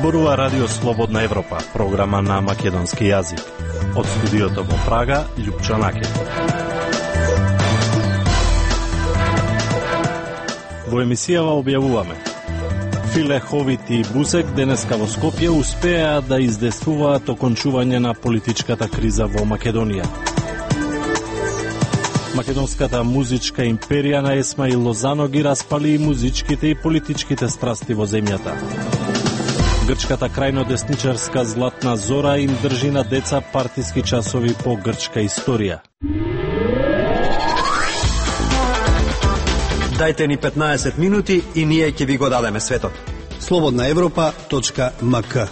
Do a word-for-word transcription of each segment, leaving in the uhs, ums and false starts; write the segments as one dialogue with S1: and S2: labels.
S1: Зборува Радио Слободна Европа, програма на македонски јазик. Од студиото во Прага, Љупчо Накет. Во емисијава објавуваме: Филе, Ховит и Бузек денеска во Скопје успеа да издействуваат окончување на политичката криза во Македонија. Македонската музичка империја на Есма и Лозано ги распали и музичките и политичките страсти во земјата. Грчката крајно десничарска Златна Зора им држи на деца партиски часови по грчка историја.
S2: Дајте ни петнаесет минути и ние ќе ви го дадеме светот.
S3: слободна европа точка ем ка.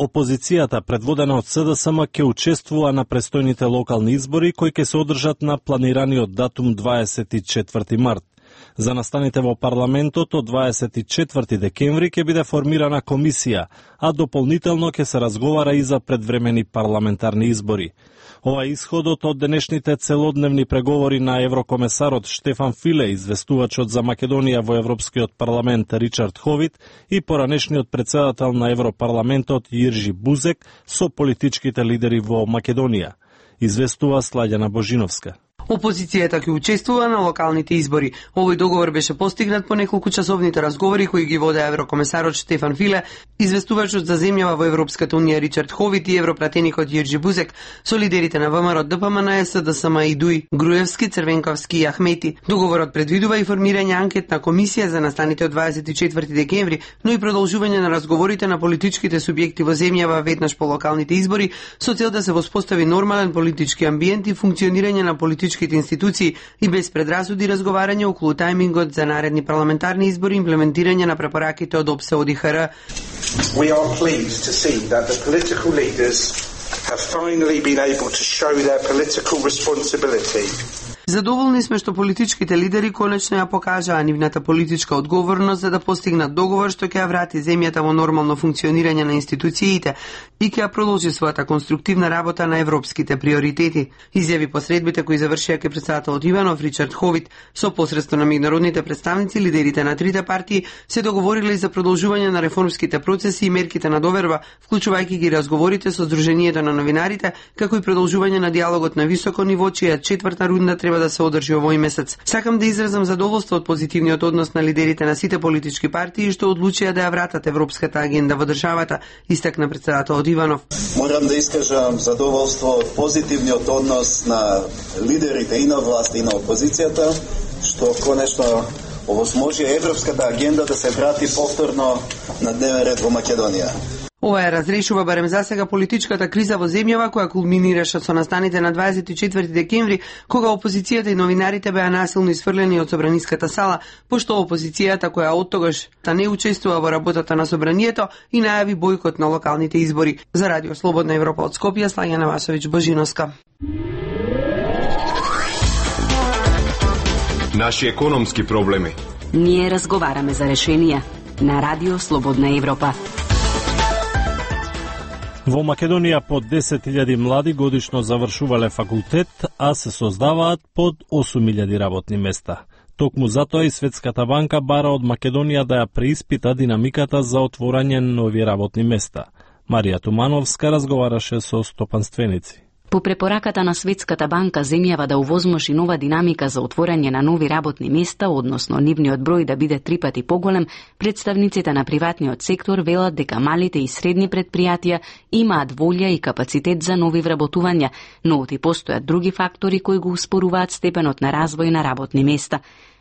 S1: Опозицијата, предводена од С Д С М, ќе учествува на престојните локални избори кои ќе се одржат на планираниот датум дваесет и четврти март. За настаните во парламентот од дваесет и четврти декември ќе биде формирана комисија, а дополнително ќе се разговара и за предвремени парламентарни избори. Ова е исходот од денешните целодневни преговори на еврокомесарот Штефан Филе, известувачот за Македонија во Европскиот парламент Ричард Ховит и поранешниот председател на Европарламентот Јиржи Бузек со политичките лидери во Македонија. Известува Слаѓана Божиновска.
S4: Опозицијата ќе учествува на локалните избори. Овој договор беше постигнат по неколку часовните разговори кои ги воде еврокомесарот Штефан Филе, известувачот за земјава во Европската унија Ричард Ховит и европратеникот Јиржи Бузек со лидерите на ВМРО, Д П М Н, С Д С М и Дуј, Груевски, Црвенковски и Ахмети. Договорот предвидува и формирање анкетна комисија за настаните од дваесет и четврти декември, но и продолжување на разговорите на политичките субјекти во земјава веднаш по локалните избори со цел да се воспостави нормален политички амбиент и функционирање на политичките институции и без предрасуди разговарање околу тајмингот за наредни парламентарни избори и имплементирање на препораките од О Б С Е О Д Х Р.
S5: We are pleased to see that the political leaders have finally been able to show their political responsibility.
S4: Задоволни сме што политичките лидери конечно ја покажаа нивната политичка одговорност за да постигнат договор што ќе ја врати земјата во нормално функционирање на институциите и ќе ја продолжи својата конструктивна работа на европските приоритети. Изјави посредбите кои завршија ке председателот Иванов Ричард Ховит. Со посредство на меѓународните представници, лидерите на трите партии се договориле за продолжување на реформските процеси и мерките на доверба, вклучувајќи ги разговорите со Сдруженијето на новинарите, како и продолжување на диалогот на високо ниво, чија четврта рунда треба да се одржи овој месец. Сакам да изразам задоволство од позитивниот однос на лидерите на сите политички партии што одлучија да ја вратат европската агенда во државата, истакна председателот Иванов.
S6: Морам да искажам задоволство од позитивниот однос на лидерите и на власт и на опозицијата, што конечно овозможи европската агенда да се врати повторно на дневен ред во Македонија.
S4: Ова ја разрешува барем засега политичката криза во земјава која кулминираше со настаните на дваесет и четврти декември, кога опозицијата и новинарите беа насилно исфрлени од собраниската сала, пошто опозицијата која оттогаш та не учествува во работата на собранието и најави бојкот на локалните избори. За Радио Слободна Европа од Скопје, Слаѓана Васовиќ Божиновска.
S7: Наши економски проблеми.
S8: Ние разговараме за решенија на Радио Слободна Европа.
S1: Во Македонија под десет илјади млади годишно завршувале факултет, а се создаваат под осум илјади работни места. Токму затоа и Светската банка бара од Македонија да ја преиспита динамиката за отворање нови работни места. Марија Тумановска разговараше со стопанственици.
S8: По препораката на Светската банка, земјава да овозможи нова динамика за отворање на нови работни места, односно нивниот број да биде три пати поголем, представниците на приватниот сектор велат дека малите и средни предпријатија имаат волја и капацитет за нови вработувања, но оти постојат други фактори кои го успоруваат степенот на развој на работни места.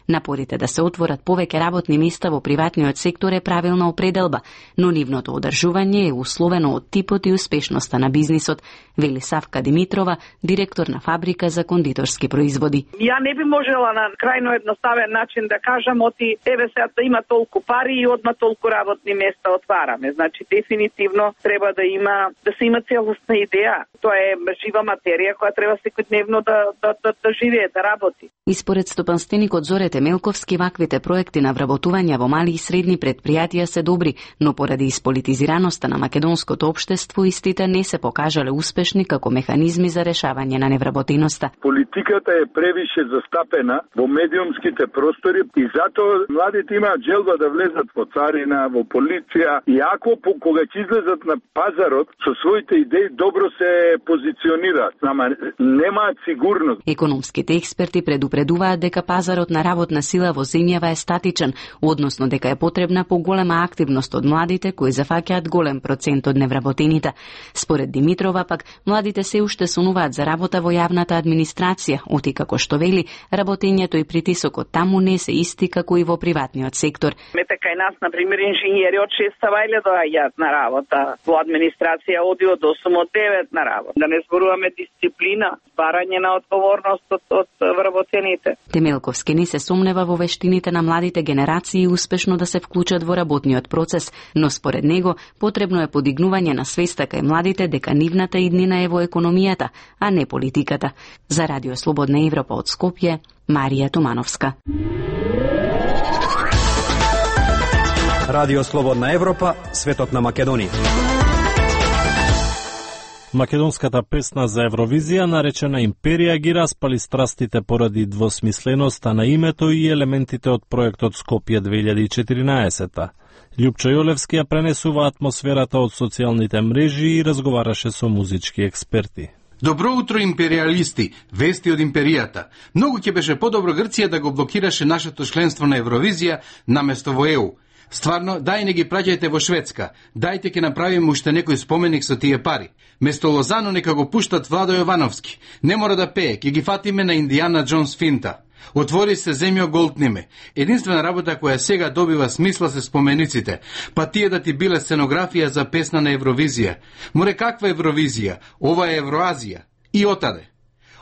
S8: Напорите да се отворат повеќе работни места во приватниот сектор е правилна определба, но нивното одржување е условено од типот и успешноста на бизнисот, вели Савка Димитрова, директор на фабрика за кондиторски производи.
S9: Ја не би можела на крајно едноставен начин да кажам оти еве сега има толку пари и одма толку работни места отвараме. Значи дефинитивно треба да има да се има целосна идеја. Тоа е жива материја која треба секојдневно да да да, да живее, да работи.
S8: И според стопанственикот Зоре според Темелковски, ваквите проекти на вработување во мали и средни предпријатија се добри, но поради исполитизираноста на македонското општество, истите не се покажале успешни како механизми за решавање на невработеноста.
S10: Политиката е превише застапена во медиумските простори и затоа младите имаат желба да влезат во царина, во полиција, и ако кога ќе излезат на пазарот со своите идеи добро се позиционираат, ама немаат сигурност.
S8: Економските експерти предупредуваат дека пазарот на работна сила во земјава е статичен, односно дека е потребна поголема активност од младите кои зафаќаат голем процент од невработените. Според Димитрова пак, младите се уште сонуваат за работа во јавната администрација, оти како што вели, работењето и притисокот таму не се исти како и во приватниот сектор.
S9: Мете кај нас, например, инженери од шест савајле доаѓаат на работа, во администрација оди од осум од девет на работа. Да не зборуваме дисциплина, барање на одговорност од, од вработените.
S8: Темелковски не се сомнева во вештините на младите генерации успешно да се вклучат во работниот процес, но според него потребно е подигнување на свеста кај младите дека нивната иднина е во економијата, а не политиката. За Радио Слободна Европа од Скопје, Марија Томановска.
S2: Радио Слободна Европа, светот на Македонија.
S1: Македонската песна за Евровизија, наречена Империја, ги распали страстите поради двосмисленоста на името и елементите од проектот Скопје две илјади и четиринаесета. Љупчо Јолевски ја пренесува атмосферата од социјалните мрежи и разговараше со музички експерти.
S11: Добро утро, империалисти, вести од империјата. Многу ќе беше подобро Грција да го блокираше нашето членство на Евровизија наместо во Е У. Стварно, дај не ги праќајте во Шведска. Дајте ќе направиме уште некој споменик со тие пари. Место Лозано нека го пуштат Владо Јовановски. Не мора да пее, ќе ги фатиме на Индијана Джонс финта. Отвори се земјо голтниме. Единствена работа која сега добива смисла се спомениците, па тие да ти биле сценографија за песна на Евровизија. Море, каква Евровизија? Ова е Евроазија. И отаде.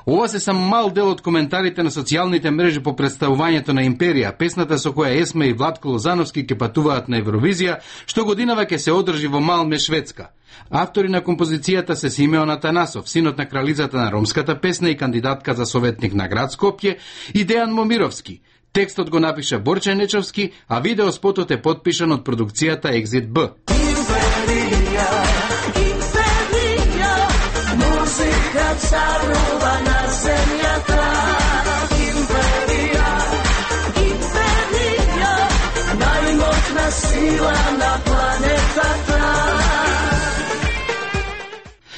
S11: Ова се само мал дел од коментарите на социјалните мрежи по представувањето на Империја, песната со која Есма и Владко Лозановски ќе патуваат на Евровизија, што годинава ќе се одржи во Малме, Шведска. Автори на композицијата се Симеон Атанасов, синот на кралицата на ромската песна и кандидатка за советник на град Скопје, и Дејан Момировски. Текстот го напиша Борче Нечовски, а видеоспотот е подпишан од продукцијата Exit Б. Империја, Империја, музика царува на земјата. Империја, Империја, најмотна сила на планетата.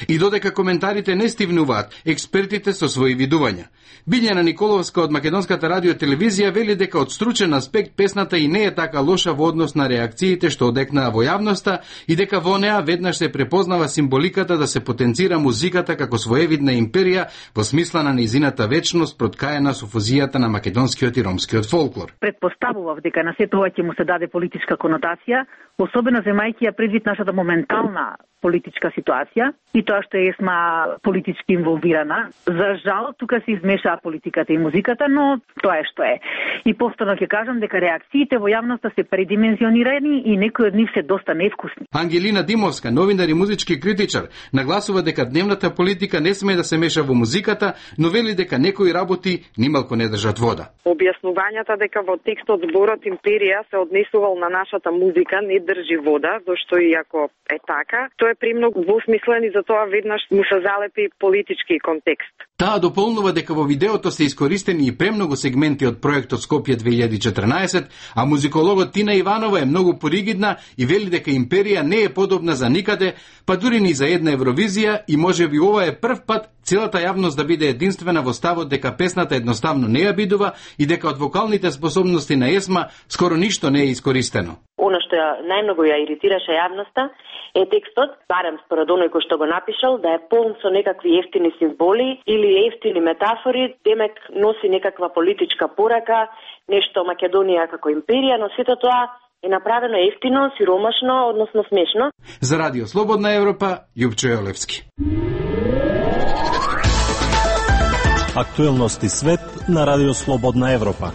S11: И додека коментарите не стивнуваат, експертите со своји видувања. Билјана Николовска од Македонската радио телевизија вели дека од стручен аспект песната и не е така лоша во однос на реакциите што одекнаа во јавноста и дека во неа веднаш се препознава символиката да се потенцира музиката како своевидна империја во смисла на нејзината вечност проткаена со фузијата на македонскиот и ромскиот фолклор.
S12: Предпоставував дека на сето ова ќе му се даде политичка конотација, особено земајќи ја предвид нашата моментална политичка ситуација и тоа што е Есма политички инволвирана. За жал, тука се измешаа политиката и музиката, но тоа е што е. И повторно ќе кажам дека реакциите во јавноста се предимензионирани и некои од нив се доста невкусни.
S11: Ангелина Димовска, новинар и музички критичар, нагласува дека дневната политика не сме да се меша во музиката, но вели дека некои работи нималку не држат вода.
S13: Објаснувањата дека во текстот зборот Империја се однесувал на нашата музика не држи вода, зашто и ако е така, тоа е премногу двусмислен и затоа веднаш му се залепи политички контекст.
S11: Таа дополнува дека во видеото се искористени и премногу сегменти од проектот Скопје две илјади и четрнаесет, а музикологот Тина Иванова е многу поригидна и вели дека Империја не е подобна за никаде, па дури ни за една Евровизија, и можеби ова е прв пат целата јавност да биде единствена во ставот дека песната едноставно не ја бидува и дека од вокалните способности на Есма скоро ништо не е искористено.
S14: Оно што ја најмногу ја иритираше јавноста е текстот, барем според оној кој што го напишал, да е полн со некакви ефтини символи или ефтини метафори, демек носи некаква политичка порака, нешто Македонија како империја, но сето тоа е направено ефтино, сиромашно, односно смешно.
S11: За Радио Слободна Европа, Љупчо Јолевски.
S1: Актуелности свет на Радио Слободна Европа.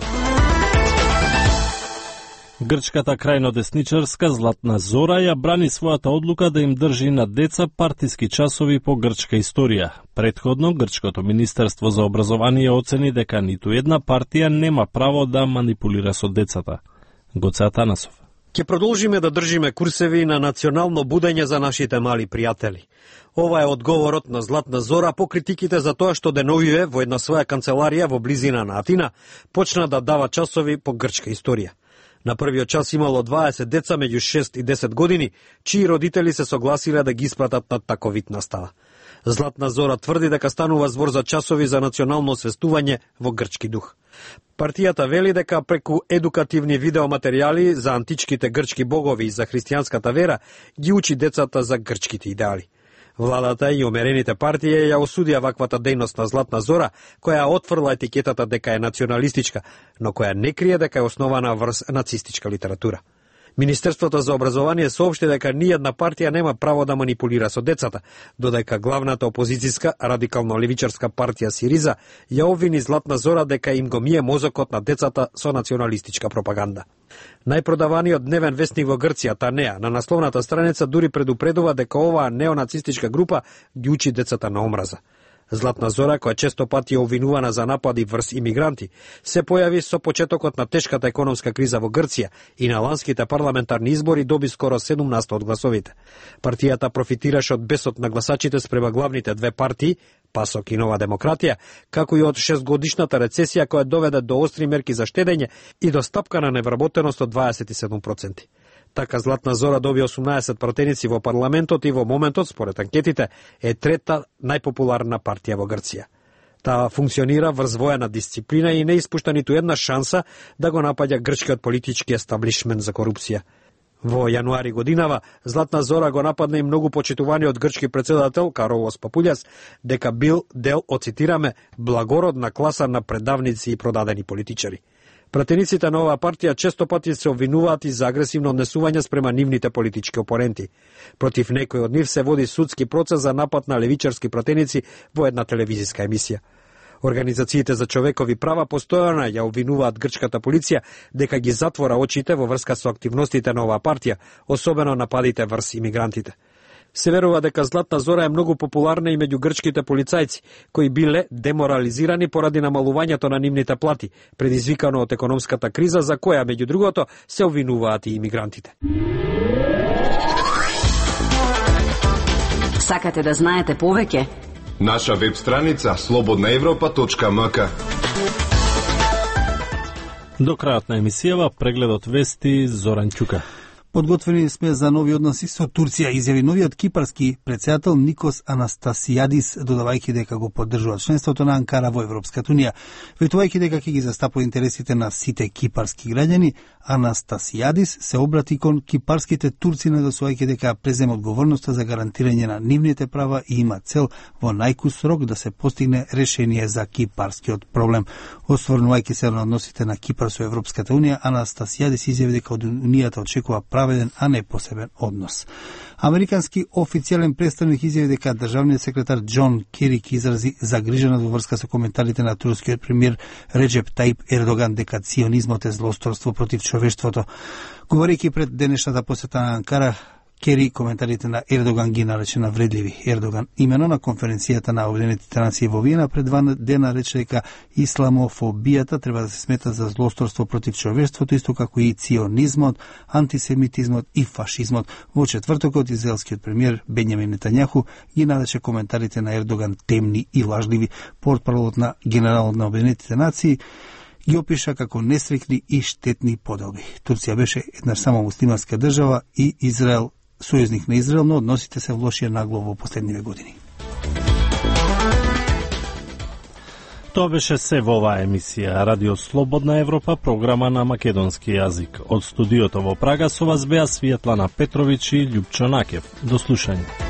S1: Грчката крајнодесничарска Златна Зора ја брани својата одлука да им држи на деца партиски часови по грчка историја. Претходно, Грчкото Министерство за образование оцени дека ниту една партија нема право да манипулира со децата. Гоце Атанасов.
S15: Ќе продолжиме да држиме курсеви на национално будење за нашите мали пријатели. Ова е одговорот на Златна Зора по критиките за тоа што деновиве во една своја канцеларија во близина на Атина почна да дава часови по грчка историја. На првиот час имало дваесет деца меѓу шест и десет години, чии родители се согласиле да ги испратат на таков вид настава. Златна Зора тврди дека станува збор за часови за национално освестување во грчки дух. Партијата вели дека преку едукативни видеоматеријали за античките грчки богови и за христијанската вера ги учи децата за грчките идеали. Владата и умерените партии ја осудија ваквата дејност на Златна Зора, која отфрла етикетата дека е националистичка, но која не крие дека е основана врз нацистичка литература. Министерството за образование соопшти дека ниједна партија нема право да манипулира со децата, додека главната опозицијска радикално-левичарска партија Сириза ја обвини Златна Зора дека им го мие мозокот на децата со националистичка пропаганда. Најпродаваниот дневен вестник во Грција, Танеа, на насловната страница дури предупредува дека оваа неонацистичка група ги учи децата на омраза. Златна Зора, која често пати е обвинувана за напади врз имигранти, се појави со почетокот на тешката економска криза во Грција и на ланските парламентарни избори доби скоро седумнаесет од гласовите. Партијата профитираше од бесот на гласачите спрема главните две партии, Пасок и Нова демократија, како и од шестгодишната рецесија која доведе до остри мерки за штедење и до стапка на невработеност од дваесет и седум проценти. Така Златна Зора доби осумнаесет пратеници во парламентот и во моментот, според анкетите, е трета најпопуларна партија во Грција. Таа функционира врз воена дисциплина и не испушта ниту една шанса да го напаѓа грчкиот политички естаблишмент за корупција. Во јануари годинава, Златна Зора го нападна и многу почитуваниот грчки претседател Каролос Папулјас дека бил дел, оцитираме, благородна класа на предавници и продадени политичари. Пратениците на оваа партија често пати се обвинуваат и за агресивно однесување спрема нивните политички опоненти. Против некој од нив се води судски процес за напад на левичарски пратеници во една телевизиска емисија. Организациите за човекови права постојано ја обвинуваат грчката полиција дека ги затвора очите во врска со активностите на оваа партија, особено нападите врз имигрантите. Се верува дека Златна Зора е многу популарна и меѓу грчките полицајци, кои биле деморализирани поради намалувањето на нивните плати, предизвикано од економската криза за која, меѓу другото, се обвинуваат и имигрантите.
S8: Сакате да знаете повеќе?
S7: Наша веб страница слободна европа точка м к.
S1: До крајот на емисијава прегледот вести Зоран Ќука.
S3: Подготвени сме за нови односи со Турција, изјави новиот кипарски претседател Никос Анастасијадис, додавајќи дека го поддржува членството на Анкара во Европската унија. Ветувајќи дека ќе ги застапува интересите на сите кипарски граѓани, Анастасијадис се обрати кон кипарските турци, надосувајќи дека презема одговорноста за гарантирање на нивните права и има цел во најкус рок да се постигне решение за кипарскиот проблем. Осврнувајќи се на односите на Кипар со Европската унија, Анастасијадис изјави дека од унијата очекува праведен, а не посебен однос. Американски официјален представник изјави дека државниот секретар Џон Керик изрази загриженост во врска со коментарите на турскиот премиер Реджеп Таип Ердоган дека ционизмот е злосторство против човештвото. Говорејќи пред денешната посета на Анкара, Кери коментарите на Ердоган ги нарече навредливи. Ердоган имено на конференцијата на Обединетите нации во Виена пред два дена рече дека исламофобијата треба да се смета за злосторство против човештвото, исто како и ционизмот, антисемитизмот и фашизмот. Во четвртокот израелскиот премиер Бенјамин Нетањаху ги нарече коментарите на Ердоган темни и лажливи. Портпаролот на генералот на Обединетите нации ги опиша како несрекни и штетни поделби. Турција беше еднаш само муслиманска држава и Израел сојузник на Израел, но односите се влошија нагло во последниве години.
S1: Тоа беше се во оваа емисија Радио Слободна Европа, програма на македонски јазик. Од студиото во Прага со вас беа Светлана Петровиќ и Љупчо Накев. До слушање.